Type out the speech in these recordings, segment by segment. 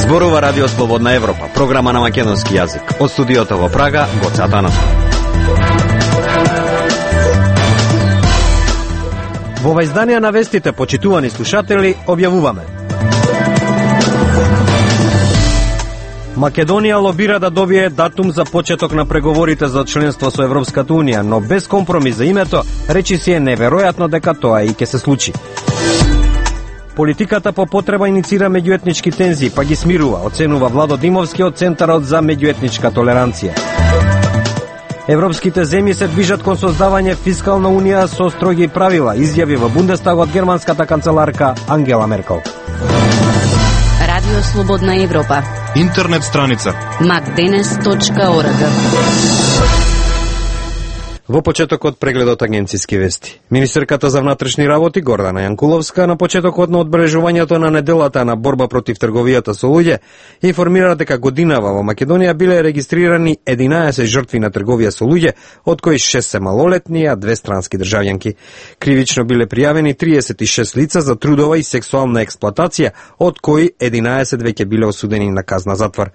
Зборува Радио Слободна Европа, програма на македонски јазик. Од студиото во Прага, Гоце Атанасов. Во ова издание на вестите, почитувани слушатели, објавуваме: Македонија лобира да добие датум за почеток на преговорите за членство со Европската Унија, но без компромис за името, речи си е неверојатно дека тоа и ќе се случи. Политиката по потреба иницира меѓуетнички тензии, па ги смирува, оценува Владо Димовски од Центарот за меѓуетничка толеранција. Европските земји се движат кон создавање фискална унија со строги правила, изјави во Бундестагот германската канцеларка Ангела Меркел. Радио Слободна Европа. Интернет страница macdenes.org. Во почетокот прегледот агенциски вести. Министерката за внатрешни работи Гордана Јанкуловска на почетокот на одбележувањето на неделата на борба против трговијата со луѓе информира дека годинава во Македонија биле регистрирани 11 жртви на трговија со луѓе, од кои 6 се малолетни, а 2 странски државјанки. Кривично биле пријавени 36 лица за трудова и сексуална експлоатација, од кои 11 веќе биле осудени на казна затвор.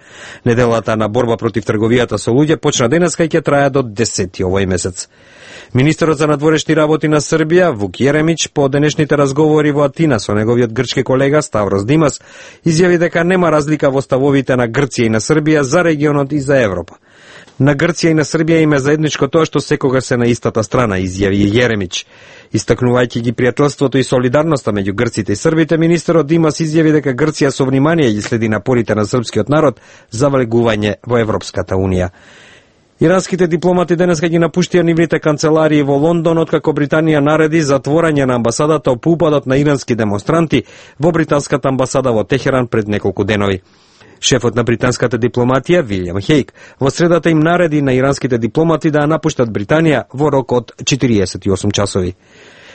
Неделата на борба против трговијата со луѓе почна денеска и ќе трае до 10 овој месец. Министерот за надворешни работи на Србија, Вук Јеремич, по денешните разговори во Атина со неговиот грчки колега Ставрос Димас, изјави дека нема разлика во ставовите на Грција и на Србија за регионот и за Европа. На Грција и на Србија им е заедничко тоа што секогаш се на истата страна, изјави Јеремич. Истакнувајќи ги пријателството и солидарноста меѓу грците и србите, министерот Димас изјави дека Грција со внимание ги следи напорите на српскиот народ за влегување во Европската Унија. Иранските дипломати денеска ги напуштија нивните канцеларии во Лондон, откако Британија нареди затворање на амбасадата по упадот на ирански демонстранти во британската амбасада во Техеран пред неколку денови. Шефот на британската дипломатија, Вилјам Хейк, во средата им нареди на иранските дипломати да напуштат Британија во рок од 48 часови.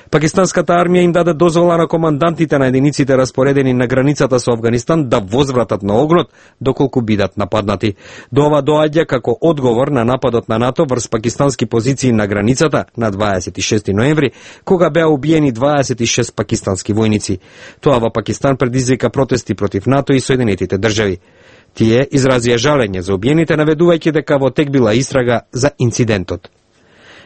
Пакистанската армија им даде дозвола на командантите на единиците распоредени на границата со Афганистан да возвратат на огнот доколку бидат нападнати. До ова доаѓа како одговор на нападот на НАТО врз пакистански позиции на границата на 26 ноември, кога беа убиени 26 пакистански војници. Тоа во Пакистан предизвика протести против НАТО и Соединетите држави. Тие изразија жалење за убиените, наведувајќи дека во тек била истрага за инцидентот.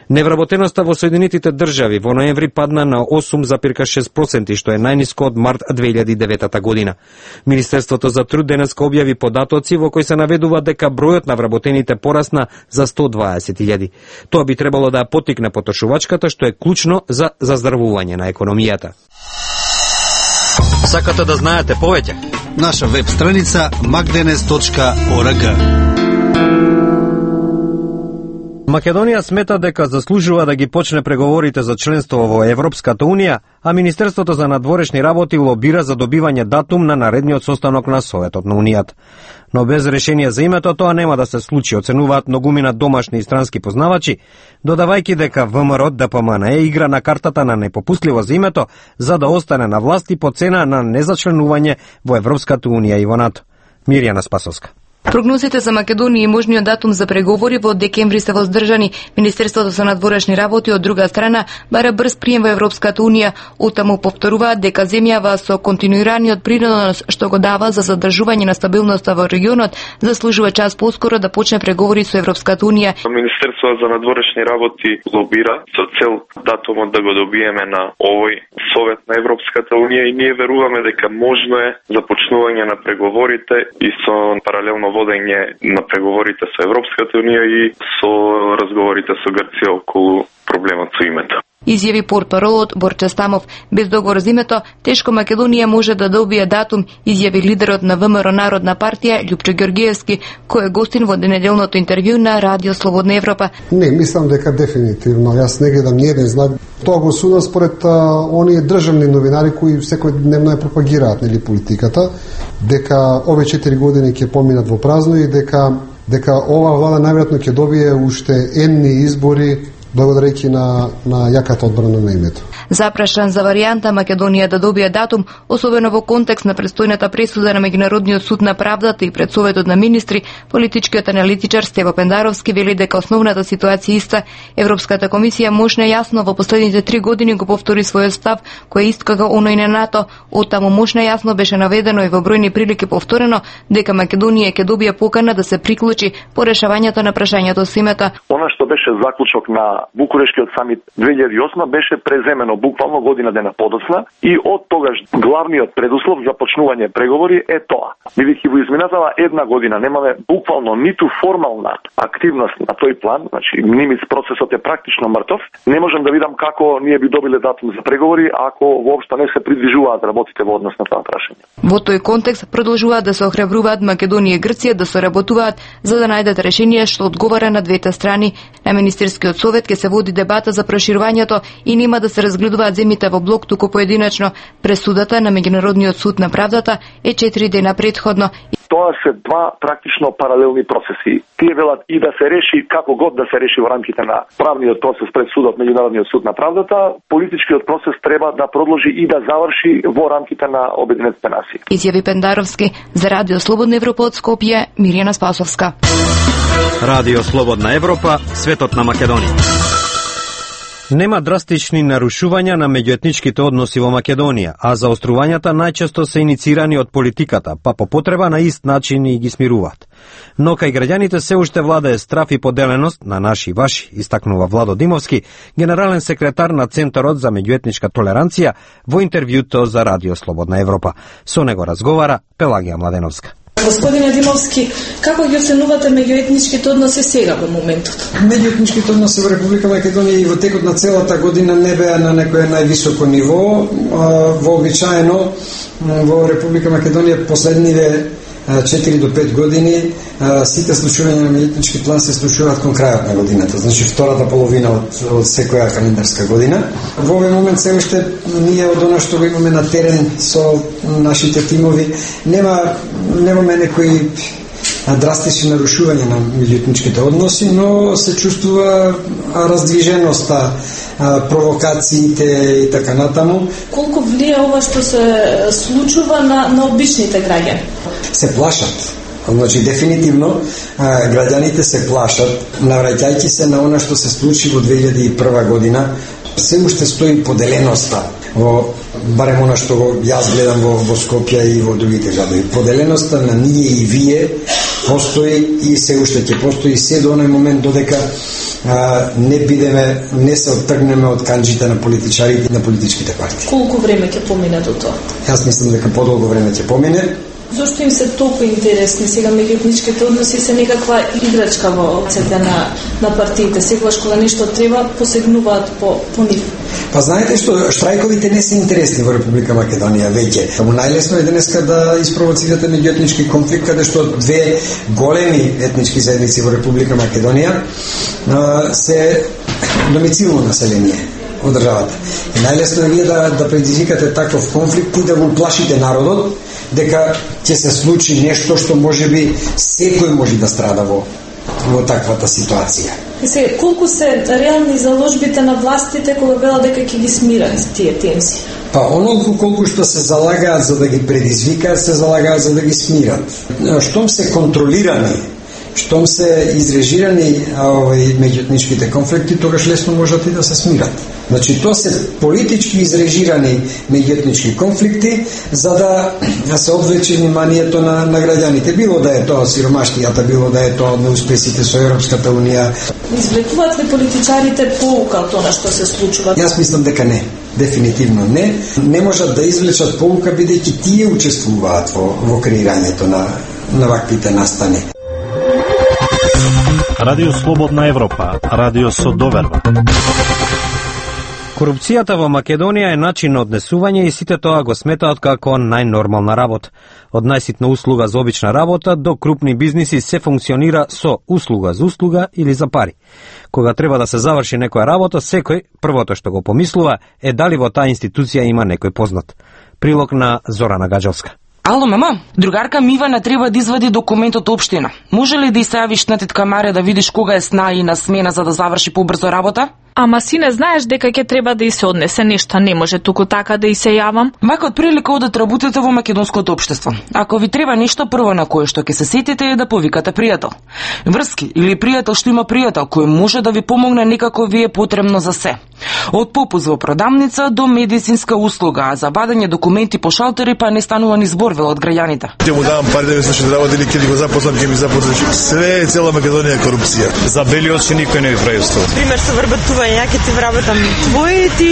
Невработеноста во Соединетите држави во ноември падна на 8,6%, што е најниско од март 2009 година. Министерството за труд денеска објави податоци во кои се наведува дека бројот на вработените порасна за 120.000. Тоа би требало да ја поттикне потрошувачката, што е клучно за заздравување на економијата. Сакате да знаете повеќе? Наша веб страница macdenes.org. Македонија смета дека заслужува да ги почне преговорите за членство во Европската Унија, а Министерството за надворешни работи лобира за добивање датум на наредниот состанок на Советот на Унијата. Но без решение за името тоа нема да се случи, оценуваат многумина домашни и странски познавачи, додавајќи дека ВМРО ДПМН игра на картата на непопустливо за името за да остане на власт и по цена на незачленување во Европската Унија и во НАТО. Мирјана Спасовска. Прогнозите за Македонија и можниот датум за преговори во декември се воздржани. Министерството за надворешни работи од друга страна бара брз прием во Европската Унија, оттаму повторуваат дека земјава со континуираниот принос што го дава за задржување на стабилноста во регионот заслужува час поскоро да почне преговори со Европската Унија. Министерството за надворешни работи лобира со цел датумот да го добиеме на овој Совет на Европската Унија и ние веруваме дека можно е започнување на преговорите и со паралелно водење на преговорите со Европската Унија и со разговорите со Грција околу проблемот со името. Изјави портпаролот Борче Стамов. Без договор за името, тешко Македонија може да добие датум, изјави лидерот на ВМРО Народна партија Љупчо Ѓорѓиевски, кој е гостин во денеделното интервју на Радио Слободна Европа. Не, мислам дека дефинитивно. Јас не гледам ниеден знак. Тоа го судам според оние државни новинари кои секојдневно ја пропагираат нели политиката, дека овие 4 години ќе поминат во празно и дека ова влада најверојатно ќе добие уште енни избори благодарејќи на јаката одбрана на името. Запрашан за варијанта Македонија да добие датум, особено во контекст на престојната пресуда на Меѓународниот суд на правдата и пред Советот на министри, политичкиот аналитичар Стево Пендаровски вели дека основната ситуација иста. Европската комисија мощно јасно во последните 3 години го повтори својот став, кој е ист како оној на НАТО. Оттаму мощно јасно беше наведено и во бројни прилики повторено дека Македонија ќе добие покана да се приклучи по решавањето на прашањето со името. Она што беше заклучок на Букурешкиот самит 2008 беше преземено буквално година дена подоцна и од тогаш главниот предуслов за почнување преговори е тоа. Бидејќи во изминатава една година немаме буквално ниту формална активност на тој план, значи нимиц процесот е практично мртов, не можам да видам како ние би добиле датум за преговори ако воопшто не се придвижуваат работите во однос на тоа прашање. Во тој контекст продолжуваат да се охрабруваат Македонија и Грција да соработуваат за да најдат решение што одговара на двете страни. На Министерскиот совет ќе се води дебата за проширувањето и нема да се разгледуваат земјите во блок туку поединечно. Пресудата на Меѓународниот суд на правдата е 4 дена претходно. Тоа се два практично паралелни процеси. Тие велат и да се реши како год да се реши во рамките на правниот процес пред судот, Меѓународниот суд на правдата, политичкиот процес треба да продолжи и да заврши во рамките на Обединетите нации. Изјави Пендаровски за Радио Слободна Европа од Скопје, Мирјана Спасовска. Радио Слободна Европа, светот на Македонија. Нема драстични нарушувања на меѓуетничките односи во Македонија, а заострувањата најчесто се иницирани од политиката, па по потреба на ист начин и ги смируваат. Но кај граѓаните се уште владае страф и поделеност на наши и ваши, истакнува Владо Димовски, генерален секретар на Центарот за меѓуетничка толеранција во интервјуто за Радио Слободна Европа. Со него разговара Пелагија Младеновска. Господине Димовски, како ги оценувате меѓуетничките односи сега во моментот? Меѓуетничките односи во Република Македонија и во текот на целата година не беа на некое највисоко ниво. Вообичаено во Република Македонија последниве 4 до 5 години сите случувања на меѓуетнички план се случуваат кон крајот на годината, значи втората половина од секоја календарска година. Во овој момент се уште ние од она што го имаме на терен со нашите тимови немаме некои драстични нарушувања на меѓуетничките односи, но се чувствува раздвиженоста, провокациите и така натаму. Колку влија ова што се случува на обичните граѓани? Се плашат. Значи, дефинитивно, граѓаните се плашат, навраќајќи се на она што се случи во 2001 година, се уште стои поделеноста во барем она што јас гледам во Скопје и во другите градови. Поделеноста на ние и вие постои и се уште ќе постои се до оној момент додека не се оттргнеме од канџите на политичарите и на политичките партии. Колку време ќе помине до тоа? Јас мислам дека подолго време ќе помине. Зошто им се толку интересни сега меѓуетничките односи се некаква играчка во рацете на партиите? Секогаш кога нешто треба посегнуваат по нив. Па знаете што штрајковите не се интересни во Република Македонија веќе. Најлесно е денеска да испровоцирате меѓуетнички конфликт каде што две големи етнички заедници во Република Македонија се домицилно население од државата. И најлесно е вие да предизвикате таков конфликт и да го плашите народот дека ќе се случи нешто што можеби секој може да страда во таквата ситуација. Се, колку се реални заложбите на властите кога велат дека ќе ги смират тие тензии? Па онолку колку што се залагаат за да ги предизвикаат, се залагаат за да ги смират. Штом се контролирани, штом се изрежирани меѓуетничките конфликти, тогаш лесно можат и да се смират. Значи, тоа се политички изрежирани меѓуетнички конфликти за да се одвлече вниманието на граѓаните. Било да е тоа сиромаштијата, било да е тоа неуспесите со Европската унија. Извлекуваат ли политичарите поука од тоа што се случува? Јас мислам дека не. Дефинитивно не. Не можат да извлечат поука бидејќи тие учествуваат во креирањето на ваквите настани. Радио Слободна Европа, радио со доверба. Корупцијата во Македонија е начин на однесување и сите тоа го сметаат како најнормална работа. Од најситна услуга за обична работа до крупни бизниси се функционира со услуга за услуга или за пари. Кога треба да се заврши некоја работа, секој првото што го помислува е дали во таа институција има некој познат. Прилог на Зорана Гаджевска. Ало, мама, другарка Мивана треба да извади документ од општина. Може ли да ја јавиш на тетка Марија да видиш кога е сна и на смена за да заврши побрзо работа? Ама си не знаеш дека ќе треба да и се однесе нешто, не може туку така да и се јавам. Вака од прилика одат работите во македонското општество. Ако ви треба нешто, прво на кое што ќе се сетите е да повикате пријател. Врски или пријател што има пријател кој може да ви помогне некако ви е потребно за се. Од попуст во продавница до медицинска услуга, а за вадење документи по шалтери па не станува ни збор од граѓаните. Ќе му давам пари да ми слушат работи или ќе го запослам, ќе ми запослаш. Све цела Македонија е корупција. За белиот што никој не ви прави услуга. Пример со вработување, ја ќе ти вработам твој, ти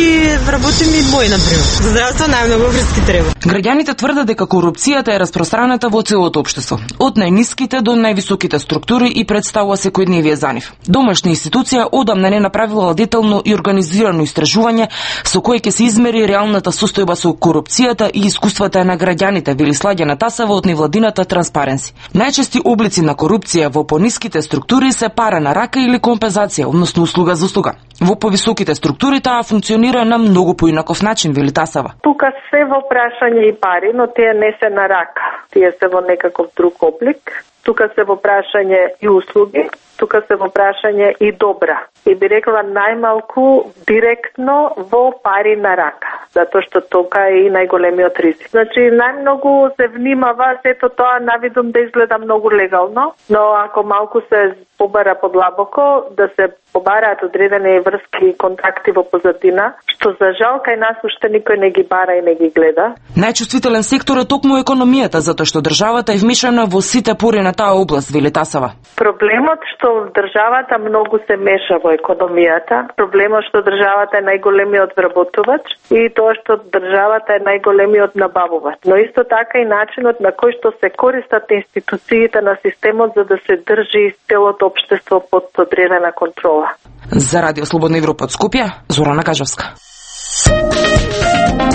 вработи ми мој, например. За здравство најмногу врски треба. Граѓаните тврдат дека корупцијата е распространета во целото општество, од најниските до највисоките структури и представува секојдневие за нив. Домашна институција одамна не направила детално и организирано истражување со кое ќе се измери реалната состојба со корупцијата и искуствата на граѓаните, вели Слагена Тасева од невладината Транспаренси. Најчести облици на корупција во пониските структури се пара на рака или компензација, односно услуга за услуга. Во повисоките структури таа функционира на многу поинаков начин, вели Тасева. Тука се во прашање и пари, но тие не се на рака. Тие се во некаков друг облик. Тука се во прашање и услуги, тука се во прашање и добра. И би рекла најмалку директно во пари на рака, затоа што тука е и најголемиот ризик. Значи, најмногу се внимава сето тоа навидом да изгледа многу легално, но ако малку се побара подлабоко, да се побараат одредени врски и контакти во позадина, што за жал кај нас уште никој не ги бара и не ги гледа. Најчувствителен сектор е токму економијата, затоа што државата е вмешана во сите пори на таа област, вели Тасева. Проблемот што државата многу се меша во економијата, проблемот што државата е најголемиот вработувач и тоа што државата е најголемиот набавувач. Но исто така и начинот на кој што се користат институциите на системот за да се држи целото општество под одредена контрола. За Радио Слободна Европа од Скопје, Зорана Кажовска.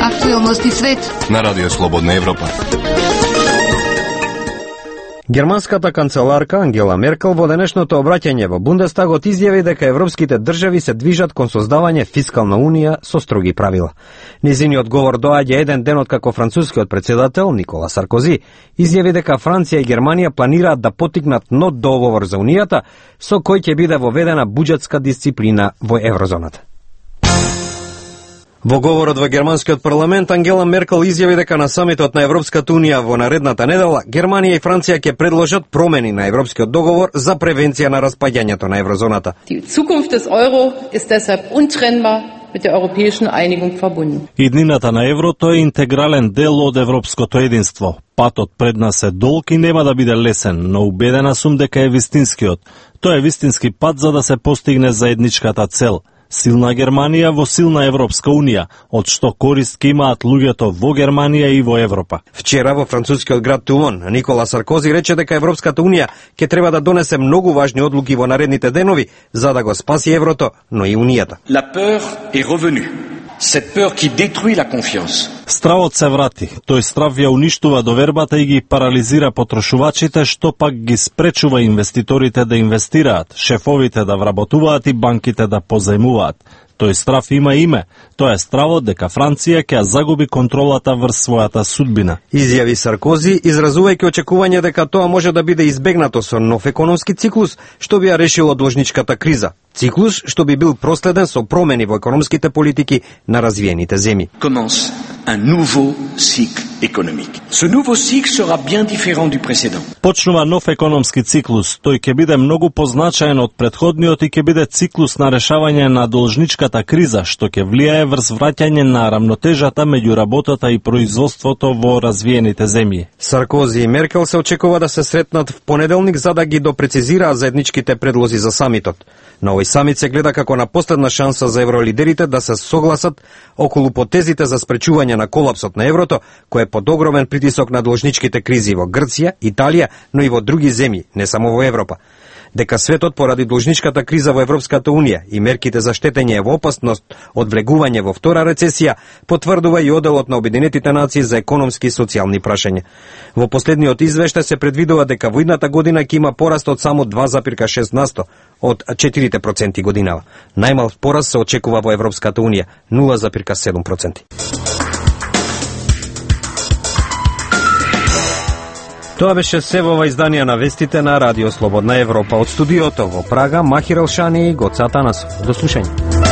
Актуелности свет на Радио Слободна Европа. Германската канцеларка Ангела Меркел во денешното обраќање во Бундестагот изјави дека европските држави се движат кон создавање фискална унија со строги правила. Незиниот говор доаѓа еден ден откако францускиот председател Никола Саркози изјави дека Франција и Германија планираат да поттикнат нов договор за унијата со кој ќе биде воведена буџетска дисциплина во еврозоната. Во говорот во германскиот парламент Ангела Меркел изјави дека на самитот на Европската унија во наредната недела Германија и Франција ќе предложат промени на европскиот договор за превенција на распаѓањето на еврозоната. Die Zukunft des Euro ist deshalb untrennbar mit der europäischen Einigung verbunden. Иднината на еврото е интегрален дел од европското единство. Патот пред нас е долг и нема да биде лесен, но убедена сум дека е вистинскиот. Тој е вистински пат за да се постигне заедничката цел. Силна Германија во силна Европска унија, од што корист ке имаат луѓето во Германија и во Европа. Вчера во францускиот град Тулон, Никола Саркози рече дека Европската унија ќе треба да донесе многу важни одлуки во наредните денови за да го спаси еврото, но и унијата. La peur est revenue. Cette peur qui détruit la confiance. Стравот се врати. Тој страв ја уништува довербата и ги парализира потрошувачите, што пак ги спречува инвеститорите да инвестираат, шефовите да вработуваат и банките да позајмуваат. Тој страв има име. Тоа е стравот дека Франција ќе загуби контролата врз својата судбина. Изјави Саркози, изразувајќи очекување дека тоа може да биде избегнато со нов економски циклус, што би ја решило должничката криза. Циклус што би бил проследен со промени во економските политики на развиените земји. Commence un nouveau cycle économique. Ce nouveau cycle sera bien différent du précédent. Почнува нов економски циклус. Тој ќе биде многу позначаен од претходниот и ќе биде циклус на решавање на должничката криза, што ќе влијае врз враќање на рамнотежата меѓу работата и производството во развиените земји. Саркози и Меркел се очекува да се сретнат в понеделник за да ги допрецизираат заедничките предлози за самитот. На овој самит се гледа како на последна шанса за евролидерите да се согласат околу потезите за спречување на колапсот на еврото, кој е под огромен притисок на должничките кризи во Грција, Италија, но и во други земји, не само во Европа. Дека светот поради должничката криза во Европската унија и мерките за штетење во опасност од влегување во втора рецесија, потврдува и оделот на Обединетите нации за економски и социјални прашања. Во последниот извештај се предвидува дека во идната година ќе има пораст од само 2,6% од 4% годинава. Најмал пораст се очекува во Европската унија, 0,7%. Тоа беше се во ова издание на вестите на Радио Слободна Европа. Од студиото во Прага, Махир Елшани и Гоца Атанасов. До слушање.